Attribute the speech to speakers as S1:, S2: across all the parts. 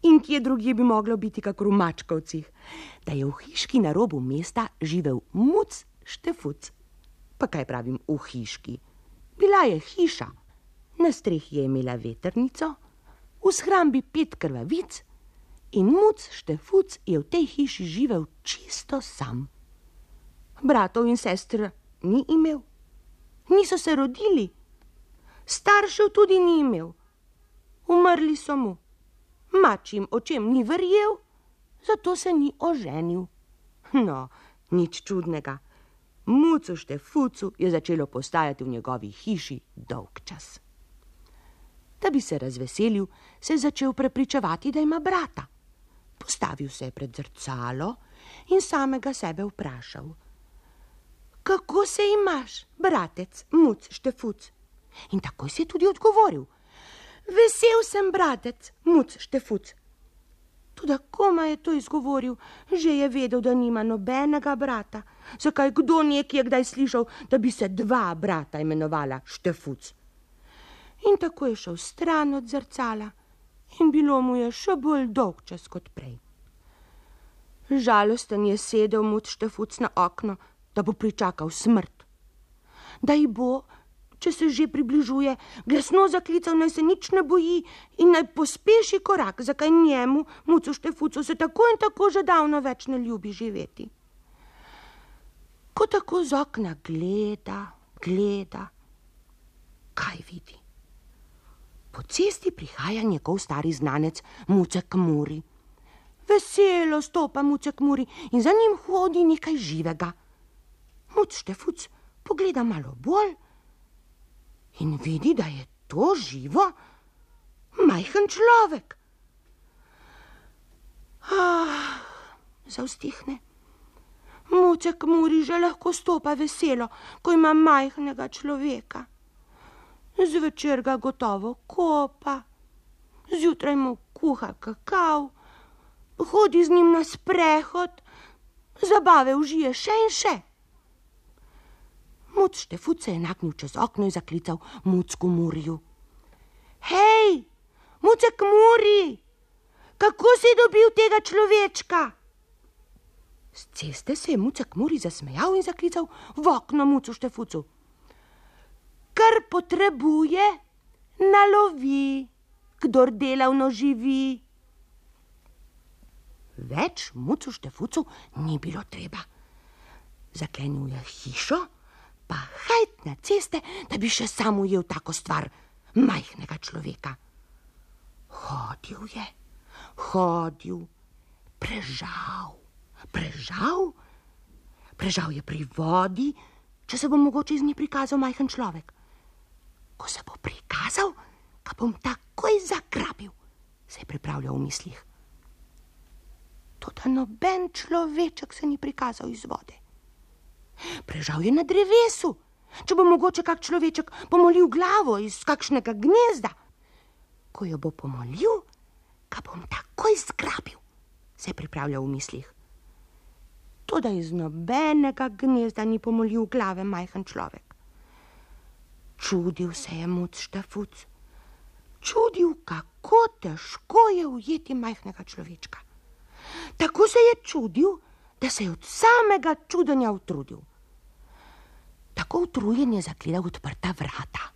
S1: In kje drugje bi moglo biti kakor v Mačkovcih, da je v hiški na robu mesta živel muc Štefuc. Pa kaj pravim v hiški? Bila je hiša. Na strehi je imela vetrnico, v shrambi 5 krvavic in muc Štefuc je v tej hiši živel čisto sam. Bratov in sester ni imel, niso se rodili, staršev tudi ni imel, umrli so mu. Mačjim očem ni verjel, zato se ni oženil. No, nič čudnega. Mucu Štefucu je začelo postajati v njegovi hiši dolgčas. Da bi se razveselil, se je začel prepričevati, da ima brata. Postavil se je pred zrcalo in samega sebe vprašal: Kako se imaš, bratec, muc Štefuc? In takoj si je tudi odgovoril: Vesel sem, bratec, muc Štefuc. Toda koma je to izgovoril, že je vedel, da nima nobenega brata. Zakaj kdo nekje kdaj slišal, da bi se 2 brata imenovala Štefuc? In tako je šel stran od zrcala in bilo mu je še bolj dolgčas kot prej. Žalosten je sedel muc Štefuc na okno, da bo pričakal smrt. Da ji bo, če se že približuje, glasno zaklical, naj se nič ne boji in naj pospeši korak, zakaj njemu, mucu Štefucu, se tako in tako že davno več ne ljubi živeti. Ko tako z okna gleda, kaj vidi? Po cesti prihaja njegov stari znanec Mucek Muri. Veselo stopa Mucek Muri in za njim hodi nekaj živega. Muc Štefuc pogleda malo bolj in vidi, da je to živo, majhen človek. Zavzdihne. Mucek Muri že lahko stopa veselo, ko ima majhnega človeka. Zvečer ga gotovo kopa, zjutraj mu kuha kakav, hodi z njim na sprehod, zabave užije še in še. Muc Štefuc se je nagnil čez okno in zaklical Mucku Muriju. Hej, Mucek Muri, kako si dobil tega človečka? Z ceste se je Mucek Muri zasmejal in zaklical v okno Mucu Štefucu. Kar potrebuje, nalovi, kdor delavno živi. Več Mucu Štefucu ni bilo treba. Zaklenil je hišo, pa hajt na ceste, da bi še sam ujel tako stvar, majhnega človeka. Hodil, prežal je pri vodi, če se bo mogoče iz nje prikazal majhen človek. Ko se bo prikazal, ga bom takoj zagrabil, se je pripravljal v mislih. Toda noben človeček se ni prikazal iz vode. Prežal je na drevesu, če bo mogoče kak človeček pomolil glavo iz kakšnega gnezda. Ko jo bo pomolil, ga bom takoj zgrabil, se je pripravljal v mislih. Toda iz nobenega gnezda ni pomolil glave majhen človek. Čudil se je muc Štefuc. Čudil, kako težko je ujeti majhnega človečka. Tako se je čudil, da se je od samega čudenja utrudil. Tako utrujen je zagledal odprta vrata.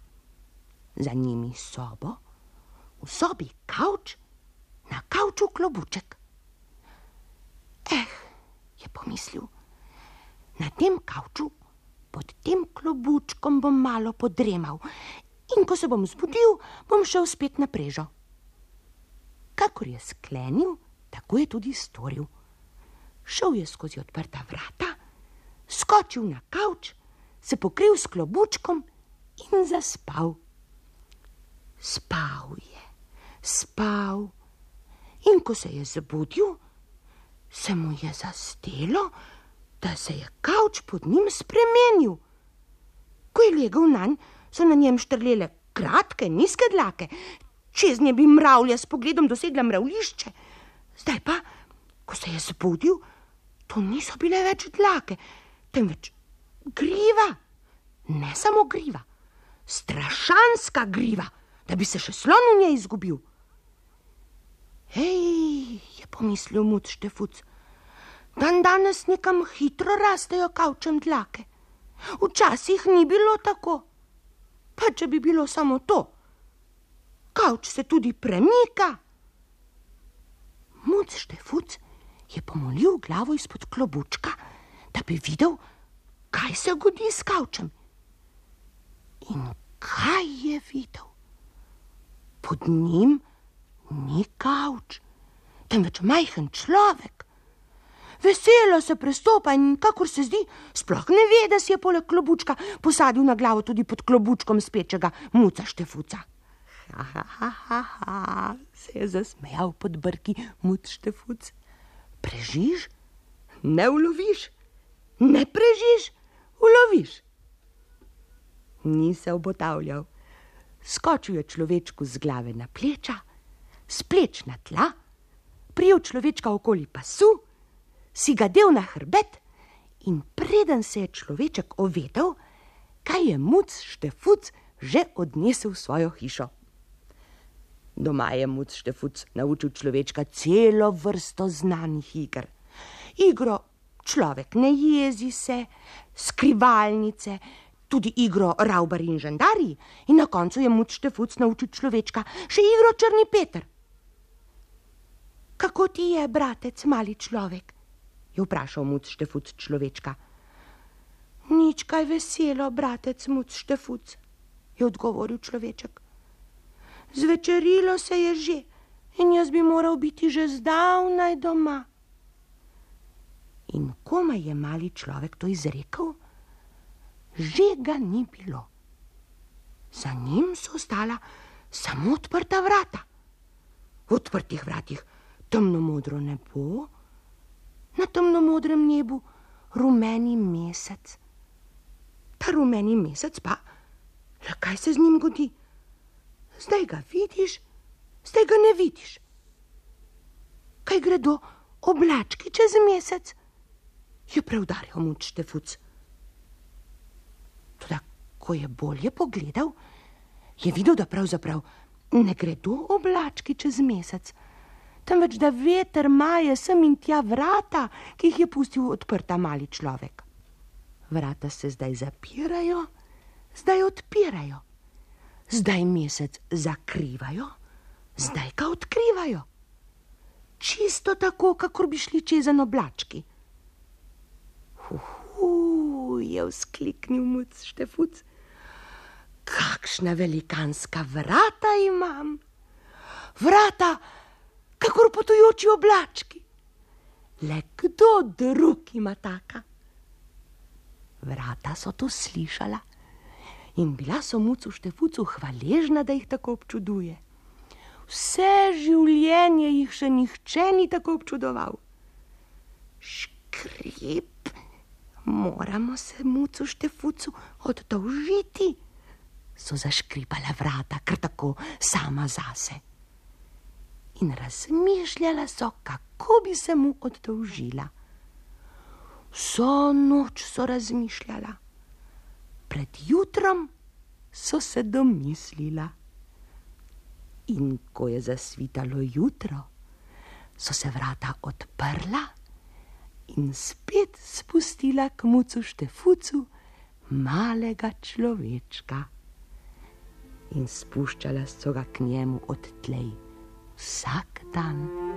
S1: Za njimi sobo, v sobi kavč, na kavču klobuček. Je pomislil, na tem kavču, pod tem klobučkom bom malo podremal in ko se bom zbudil, bom šel spet na prežo. Kakor je sklenil, tako je tudi storil. Šel je skozi odprta vrata, skočil na kavč, se pokril s klobučkom in zaspal. Spal in ko se je zbudil, se mu je zazdelo, da se je kavč pod njim spremenil. Ko je legel nanj, so na njem štrlele kratke, nizke dlake, čez nje bi mravlja s pogledom dosegla mravljišče. Zdaj pa, ko se je zbudil, to niso bile več dlake, temveč griva. Ne samo griva, strašanska griva, da bi se še slon v njej izgubil. pomislil muc Štefuc. Danes nekam hitro rastejo kavčem dlake. Včasih ni bilo tako. Pa če bi bilo samo to. Kavč se tudi premika. Muc Štefuc je pomolil glavo izpod klobučka, da bi videl, kaj se godi s kavčem. In kaj je videl? Pod njim ni kavč, temveč majhen človek. Veselo se prestopa in, kakor se zdi, sploh ne ve, da si je poleg klobučka posadil na glavo tudi pod klobučkom spečega muca Štefuca. Ha, se je zasmejal pod brki muc Štefuc. Prežiš, ne uloviš, ne prežiš, uloviš. Ni se obotavljal. Skočil je človečku z glave na pleča, s pleč na tla, prijel človečka okoli pasu, si ga del na hrbet in preden se je človeček ovedel, kaj je muc Štefuc že odnesel v svojo hišo. Doma je muc Štefuc naučil človečka celo vrsto znanih iger. Igro človek ne jezi se, skrivalnice, tudi igro Ravbar in žandarji in na koncu je muc Štefuc naučil človečka še igro Črni Peter. Kako ti je, bratec, mali človek? Je vprašal muc Štefuc človečka. Nič kaj veselo, bratec muc Štefuc, je odgovoril človeček. Zvečerilo se je že in jaz bi moral biti že zdavnaj doma. In komaj je mali človek to izrekel, že ga ni bilo. Za njim so ostala samo odprta vrata. V odprtih vratih temnomodro nebo, na temnomodrem nebu rumeni mesec. Ta rumeni mesec pa, le kaj se z njim godi? Zdaj ga vidiš, zdaj ga ne vidiš. Kaj gredo oblački čez mesec? Je preudarjal muc Štefuc. Toda, ko je bolje pogledal, je videl, da pravzaprav ne gredo oblački čez mesec, temveč da veter maje sem in tja vrata, ki jih je pustil odprta mali človek. Vrata se zdaj zapirajo, zdaj odpirajo. Zdaj mesec zakrivajo, zdaj ga odkrivajo. Čisto tako, kakor bi šli čezen oblački. Je vzkliknil muc Štefuc. Kakšna velikanska vrata imam. Vrata, kakor potujoči oblački. Le kdo drug ima taka? Vrata so to slišala in bila so mucu Štefucu hvaležna, da jih tako občuduje. Vse življenje jih še nihče ni tako občudoval. Škrip, moramo se mucu Štefucu oddolžiti, so zaškripala vrata kar tako sama zase. In razmišljala so, kako bi se mu oddolžila. Vso noč so razmišljala. Pred jutrom so se domislila. In ko je zasvitalo jutro, so se vrata odprla in spet spustila k mucu Štefucu malega človečka. In spuščala so ga k njemu odtlej vsak dan.